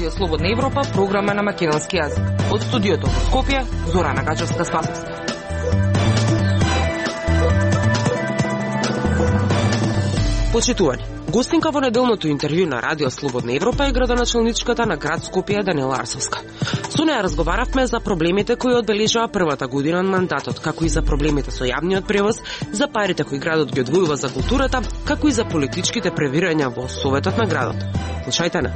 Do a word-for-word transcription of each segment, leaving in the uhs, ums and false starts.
Радио Слободна Европа, програма на македонски јазик. Од студиото во Скопје, Зорана Гачевска-Спасовска. Почитувани, гостинка во неделното интервју на Радио Слободна Европа е градоначалничката на град Скопје Даниела Арсовска. Со неја разговаравме за проблемите кои одбележаа првата година на мандатот, како и за проблемите со јавниот превоз, за парите кои градот ги одвојува за културата, како и за политичките превирања во Советот на градот. Слушајте на.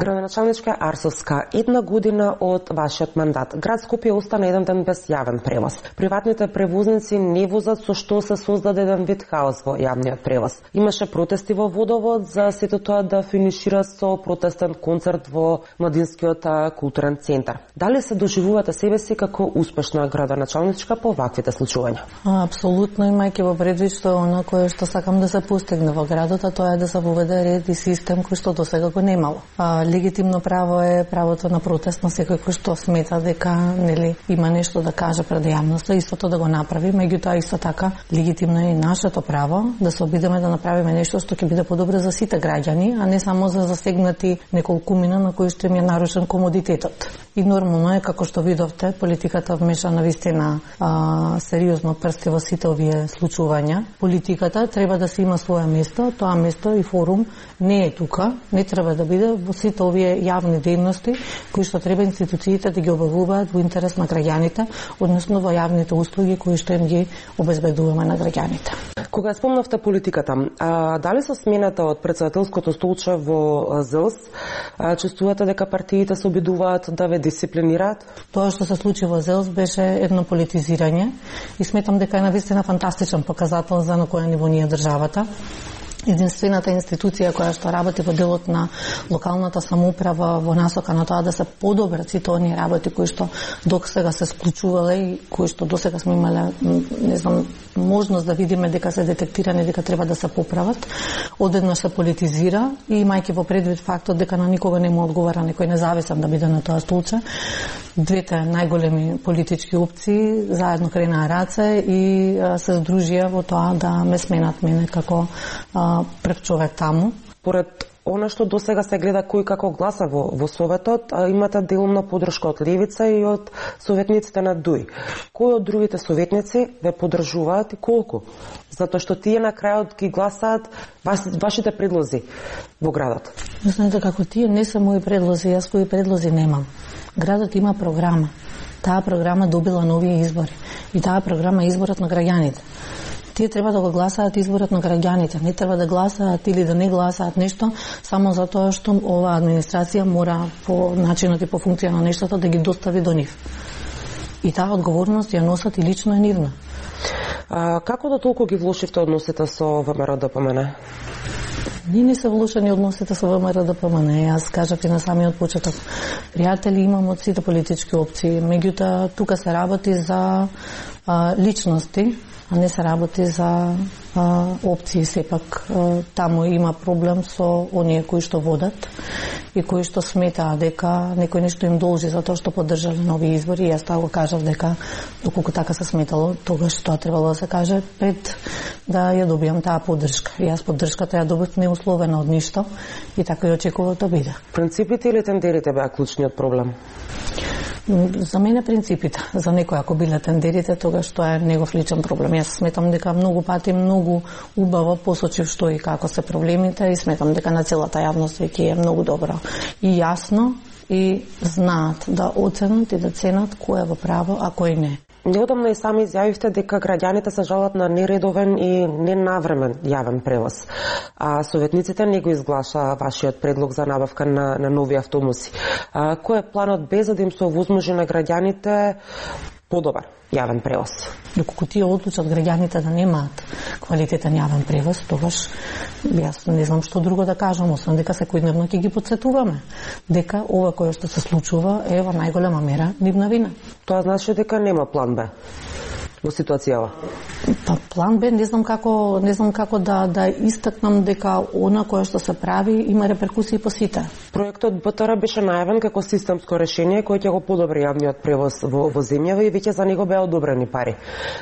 Градоначалничка Арсовска, една година од вашиот мандат. Град Скопје остана еден ден без јавен превоз. Приватните превозници не возат, со што се создаде еден вид хаос во јавниот превоз. Имаше протести во Водовод за сето тоа да финишира со протестен концерт во Младинскиот културен центар. Дали се доживувате себе си како успешна градоначалничка по ваквите случувања? Апсолутно, имајќи во предвид што оно кое што сакам да се постигне во градот, а тоа е да се воведе ред и систем кој што досега го немало. Легитимно право е правото на протест на секој кој што смета дека нели има нешто да каже пред јавноста, истото да го направи, меѓутоа исто така легитимно е и нашето право да се обидеме да направиме нешто што ќе биде подобро за сите граѓани, а не само за засегнати неколкумина на кои што им е нарушен комодитетот. И нормално е, како што видовте, политиката вмеша навистина а, сериозно прсти во сите овие случувања. Политиката треба да се има своје место, тоа место и форум не е тука, не треба да биде во сите овие јавни дејности кои што треба институциите да ги обавуваат во интерес на граѓаните, односно во јавните услуги кои што им ги обезбедуваме на граѓаните. Кога спомнавте политиката, а, дали со смената од претседателското столче во ЗЕЛС, а, чувствувате дека партиите се обидуваат да ве дисциплинираат? Тоа што се случи во ЗЕЛС беше едно политизирање и сметам дека е навистина фантастичен показател за на која ниво ни е државата. Единствената институција која што работи во делот на локалната самоуправа во насока на тоа да се подобрат сите оние работи кои што досега се склучувале и кои што досега сме имале, не знам, можност да видиме дека се детектирани, дека треба да се поправат, одеднаш се политизира и имајќи во предвид фактот дека на никога не му одговара некој независен да биде на тоа столче, двете најголеми политички опции заедно кренаа раце и а, се здружија во тоа да ме сменат мене како а, прв човек таму. Поред она што досега се гледа кој како гласа во, во Советот, а, имате делумна подршка од Левица и од советниците на ДУИ. Кои од другите советници ве поддржуваат и колку? Затоа што тие на крајот ги гласаат вас, вашите предлози во градот. Знаете како тие не се мои предлози, јас своји предлози немам. Градот има програма. Таа програма добила нови избори и таа програма е изборот на граѓаните. Тие треба да го гласаат изборот на граѓаните, не треба да гласаат или да не гласаат нешто само затоа што оваа администрација мора по начинот и по функција на нештото да ги достави до нив. И таа одговорност ја носат и лично е нивна. А, како да толку ги влошивте односите со ВМРО-ДПМН? Ние не се влошени односите со ВМРО-ДПМН. Јас кажав и на самиот почеток. Пријатели имам од сите политички опции, меѓутоа тука се работи за а, личности, а не се работи за а, опции. Сепак а, таму има проблем со оние кои што водат и кои што сметаа дека некој нешто им должи за тоа што поддржале нови избори. Јас тоа го кажав дека доколку така се сметало, тогаш тоа требало да се каже пред да ја добијам таа поддршка. Јас поддршката ја добив неусловено од ништо и така и очекував да биде. Принципите или тендерите беа клучниот проблем? За мене принципите, за некој ако биле тендерите, тогаш тоа е негов личен проблем. Јас сметам дека многу пати многу убаво посочив што и како се проблемите и сметам дека на целата јавност веќе е многу добро и јасно и знаат да оценат и да ценат кој е во право, а кој не. Неодамна и сами изјавивте дека граѓаните се жалат на нередовен и ненавремен јавен превоз. А советниците не го изглаша вашиот предлог за набавка на, на нови автобуси. А, кој е планот без да им се овозможи на граѓаните подобар јавен превоз? Доколку тие одлучат граѓаните да немаат квалитетен јавен превоз, тогаш јас не знам што друго да кажам, освен дека секојдневно ќе ги потсетуваме дека ова кое што се случува е во најголема мера нивна вина. Тоа значи дека нема план Б во ситуацијава? Па план Б не знам како, не знам како да да истакнам дека она кое што се прави има реперкусии по сите. Проектот БТР беше најавен како системско решение кој ќе го подобри јавниот превоз во, во земјава и веќе за него беа одобрени пари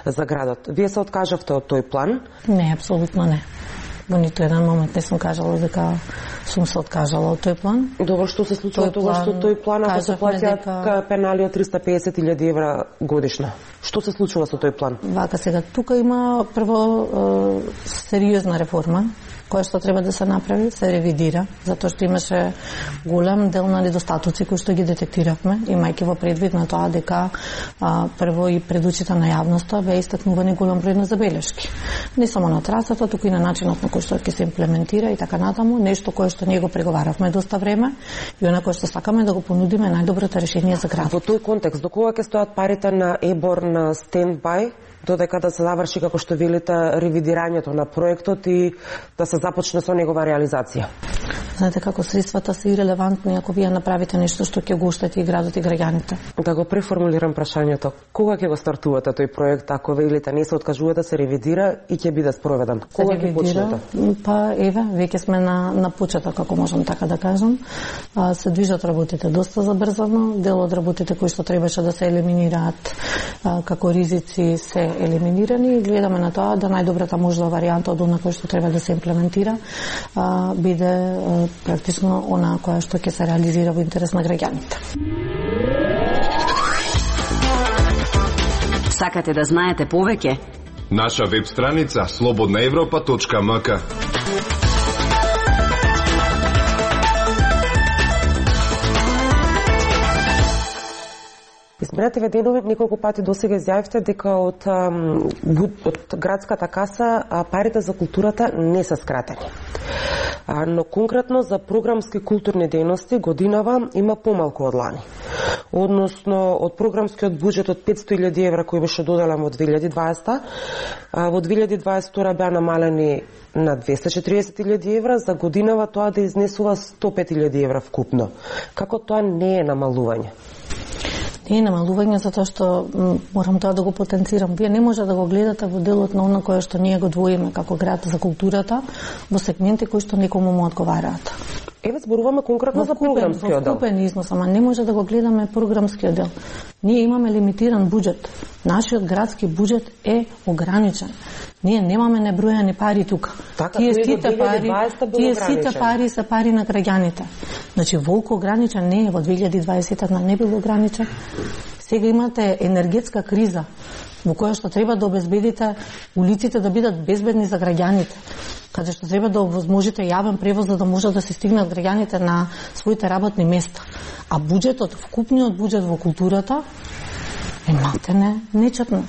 за градот. Вие се откажавте од тој план? Не, апсолутно не. Во ниту еден момент не сум кажала дека сум се откажала од тој план. Добро, што се случува тогаш што тој план ако се платиат дека... пенали од триста песет илјади евра годишно? Што се случува со тој план? Вака сега, тука има прво е, сериозна реформа која што треба да се направи, се ревидира, затоа што имаше голем дел на недостатоци кои што ги детектиравме, имајќи во предвид на тоа дека а, прво и пред очите на јавноста беа истакнувани голем број на забелешки. Не само на трасата, туку и на начинот на кој што ќе се имплементира и така натаму, нешто кое што ние го преговаравме доста време и она кое што сакаме да го понудиме најдоброто решение за градот. Во тој контекст, до кога ќе стојат парите на ЕБОР на стендбај, додека да се заврши, како што велите, ревидирањето на проектот и да се започне со негова реализација? Знаете како средствата се ирелевантни ако вие направите нешто што ќе го оштети и градот и граѓаните. Да го преформулирам прашањето. Кога ќе го стартувате тој проект, ако велите не се откажувате, се ревидира и ќе биде спроведен? Кога ќе почнете? Па еве, веќе сме на на почеток, ако можам така да кажам. А, се движат работите доста забрзано, дел од работите кои што требаше да се елиминираат а, како ризици се елиминирани и гледаме на тоа да најдобрата можна варијанта од она кој што треба да се имплементира а, биде а, практично она која што ќе се реализира во интерес на граѓаните. Сакате да знаете повеќе? Наша веб страница слободна европа точка ем ка. Изминативе денови неколку пати досега изјавивте дека од, од градската каса парите за културата не се скратени. Но конкретно за програмски културни дејности годинава има помалку од лани. Односно, од програмскиот буџет од петсто илјади евра кој беше доделен во две илјади и дваесета, во две илјади и дваесет и втора беа намалени на двесте и четиридесет илјади евра, за годинава тоа да изнесува сто и пет илјади евра вкупно. Како тоа не е намалување? Не е намалување затоа што морам тоа да го потенцирам. Вие не може да го гледате во делот на она кое што ние го двоиме како град за културата во сегменти кои што некому му одговараат. Еве зборуваме конкретно за програмскиот дел. Во купен износ, ама не може да го гледаме програмскиот дел. Ние имаме лимитиран буџет. Нашиот градски буџет е ограничен. Ние немаме небројани пари тука. Така, тие сите пари, тие сите пари се пари на граѓаните. Значи волку ограничен не е, во две илјади и дваесета не бил ограничен. Сега имате енергетска криза во која што треба да обезбедите улиците да бидат безбедни за граѓаните, каде што треба да овозможите јавен превоз за да може да се стигнат граѓаните на своите работни места. А буџетот, вкупниот буџет во културата е малтене нечетно.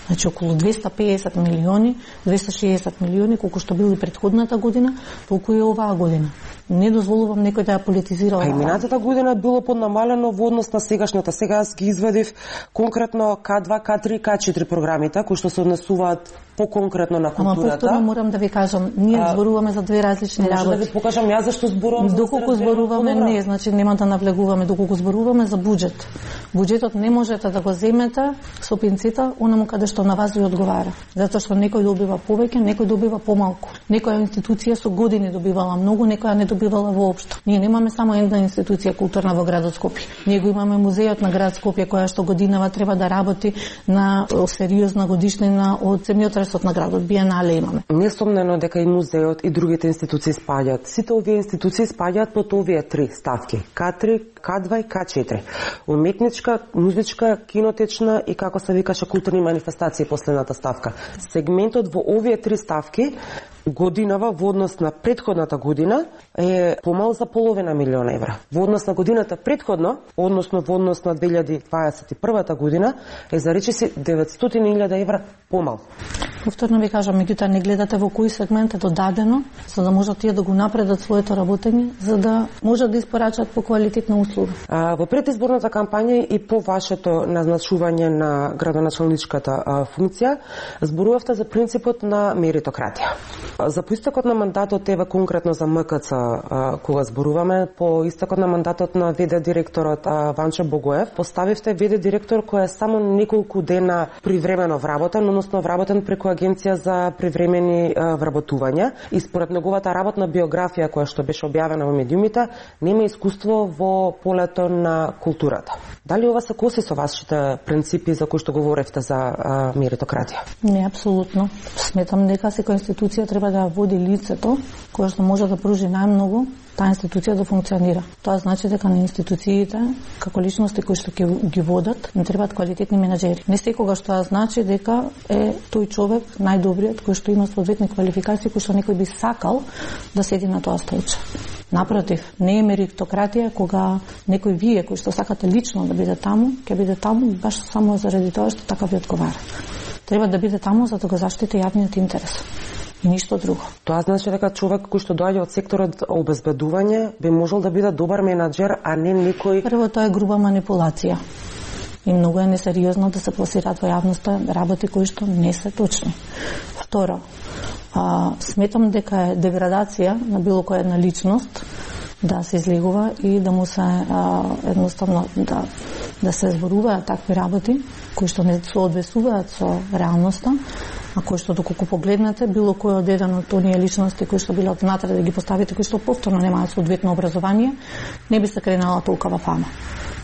Значи околу двесте и песет милиони, двесте и шеесет милиони, колку што бил и претходната година, толку и оваа година. Не дозволувам некој да ја политизира оваа. А и минатата година било поднамалено во однос на сегашната. Сега аз ги извадив конкретно К два, К три, К четири програмите, кои што се однесуваат по-конкретно на културата. Ама повторно морам да ви кажам, ние а, зборуваме за две различни работи. Може да ви покажам јас зашто зборувам за доколку зборуваме не, значи нема да навлегуваме, доколку зборуваме за буџет. Буџетот не можете да го земете со пинцета онаму каде што на вас ви одговара. Затоа што некој добива повеќе, некој добива помалку. Некоја институција со години добивала многу, некоја не добивала воопшто. Ние немаме само една институција културна во градот Скопје. Ние го имаме музејот на град Скопје која што годинава треба да работи на сериозна годишнина од земјотресот на градот. Биенале имаме. Несомнено дека и музејот и другите институции спаѓаат. Сите овие институции спаѓаат под овие три ставки: К три, К два и К четири. Уметничка, музичка, кинотечна и како се викаше културни манифестации последната ставка. Сегментот во овие три ставки годинава во однос на претходната година е помал за половина милиона евра. Во однос на годината претходно, односно во однос на две илјади дваесет и прва година, е за речиси деветстотини илјади евра помал. Повторно ви кажам, меѓутоа не гледате во кој сегмент е додадено, за да можат тие да го напредат своето работење, за да можат да испорачат по квалитетна услуга. А, во предизборната кампања и по вашето назначување на градоначалничката а, функција, зборувавте за принципот на меритократија. За по истекот на мандатот, еве конкретно за М К Ц, а, кога зборуваме, по истекот на мандатот на ВД директорот а, Ванчо Богоев, поставивте ВД директор кој е само неколку дена привремено вработен, односно вработен преку агенција за привремени а, вработувања, и според неговата работна биографија која што беше објавена во медиумите, нема искуство во полето на културата. Дали ова се коси со вашите принципи за кои што говоревте за а, меритократија? Не, апсолутно. Сметам дека секоја институција треба треба да води лицето кое што може да пружи најмногу таа институција да функционира. Тоа значи дека на институциите, како личности кои што ќе ги водат, не требаат квалитетни менаџери. Не секогаш тоа значи дека е тој човек најдобриот кој што има соодветни квалификации кои што некој би сакал да седи на тоа столче. Напротив, не е меритократија кога некој вие кој што сакате лично да биде таму, ќе биде таму баш само заради тоа што така ви одговара. Треба да биде таму за да го заштити јавниот интерес. И ништо друго. Тоа значи дека човек кој што доаѓа од секторот обезбедување би можел да биде добар менаџер, а не некој... Прво, тоа е груба манипулација. И многу е несериозно да се пласираат во јавноста работи кои што не се точни. Второ, а, сметам дека е деградација на било која една личност да се излегува и да му се а, едноставно да, да се зборуваат такви работи кои што не соодветствуваат со реалноста, а кои што доколку погледнете било кој од еден од оние личности кои што биле од внатре да ги поставите, кои што повторно немаат соодветно образование, не би се кренала толкова фама.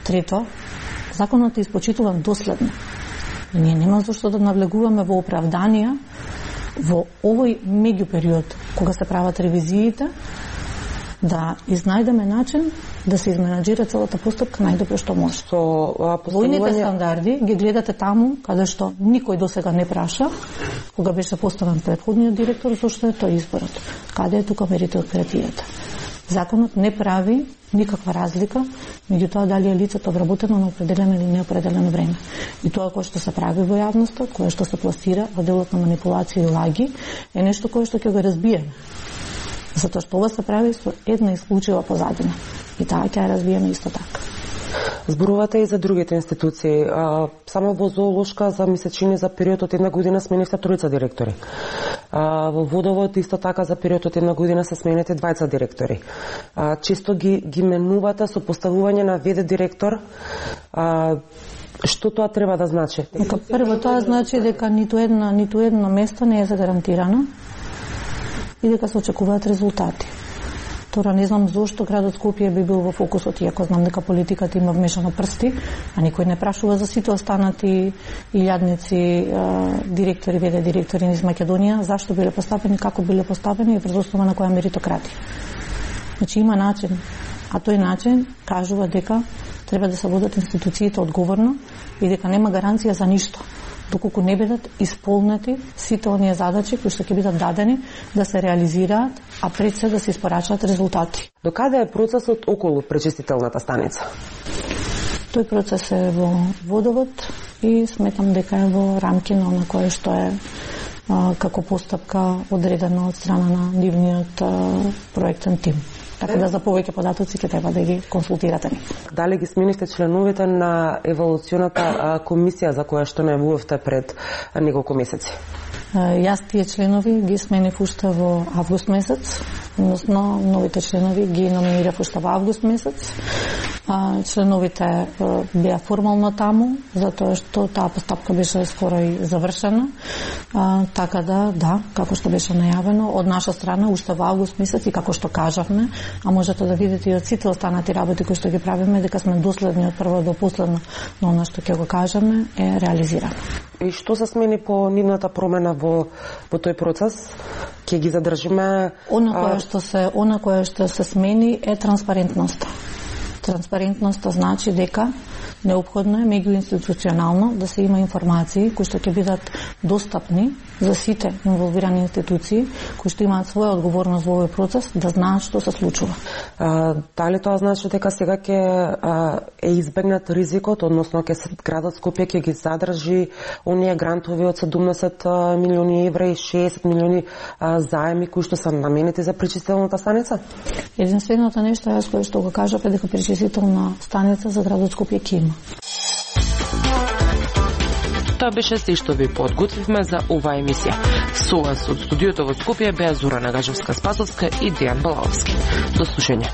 Трето, законот е испочитуван доследно. И ние нема зашто да навлегуваме во оправданија во овој меѓупериод кога се прават ревизиите, да изнајдеме начин да се изменаџира целата постапка најдобро што може. Со постановување... Војните стандарди ги гледате таму каде што никој досега не праша, кога беше поставен претходниот директор, зашто е тој изборот. Каде е тука меритократијата? Законот не прави никаква разлика меѓу тоа дали е лицето вработено на определено или неопределено време. И тоа кое што се прави во јавноста, кое што се пласира во делот на манипулација и лаги, е нешто кое што ќе го разбиеме. Затоа што ова се прави со една исклучива позадина. И таа ќе ја разбиеме исто така. Зборувате и за другите институции. Само во зоолошка за месечини за период од една година сменивте тројца директори. Во водовод исто така за период од една година се смените двајца директори. Често ги, ги менувате со поставување на ве де директор. Што тоа треба да значи? Дека прво тоа значи дека ниту една, ниту едно место не е загарантирано и дека се очекуваат резултати. Тора не знам зошто градот Скопје би бил во фокусот, иако знам дека политиката има вмешано прсти, а никој не прашува за сите останати илјадници директори, ве де директори низ Македонија, зашто биле поставени, како биле поставени и врз основа на која меритократија. Значи има начин, а тој начин кажува дека треба да се водат институциите одговорно и дека нема гаранција за ништо, доколку не бидат исполнети сите оние задачи кои што ќе бидат дадени да се реализираат, а пред се да се испорачаат резултати. До каде е процесот околу пречистителната станица? Тој процес е во водовод и сметам дека е во рамки на она кое што е а, како постапка одредено од страна на нивниот а, проектен тим. Така да за повеќе податоци ќе треба да ги консултирате ни. Дали ги сменивте членовите на еволуционата комисија за која што најавувавте пред неколку месеци? Јас тие членови ги сменив уште во август месец, односно новите членови ги номинирав уште во август месец. Членовите беа формално таму, затоа што таа постапка беше скоро и завршена. Така да, да, како што беше најавено, од наша страна уште во август месец и како што кажавме, а можете да видите и од сите останати работи кои што ги правиме, дека сме доследни од прво до последно, но она што ќе го кажеме е реализирано. И што се смени по нивната промена во во тој процес? Ќе ги задржиме? Она кое што се, она кое што се смени е транспарентноста. Транспарентноста значи дека неопходно е меѓуинституционално да се има информации кои што ќе бидат достапни за сите инволвирани институции кои што имаат своја одговорност во овој процес, да знаат што се случува. А, дали тоа значи дека сега ќе е избегнат ризикот, односно ќе градот Скопје ќе ги задржи оние грантови од седумдесет милиони евра и шеесет милиони а, заеми кои што се наменети за пречистителната станица? Единственото нешто јас кое што го кажав е дека пречистителна станица за градот Скопје ќе има. Тоа беше се што ви подготвивме за оваа емисија. Со вас од студиото во Скопје беа Зорана Гажевска-Спасовска и Дејан Балаовски. До слушање.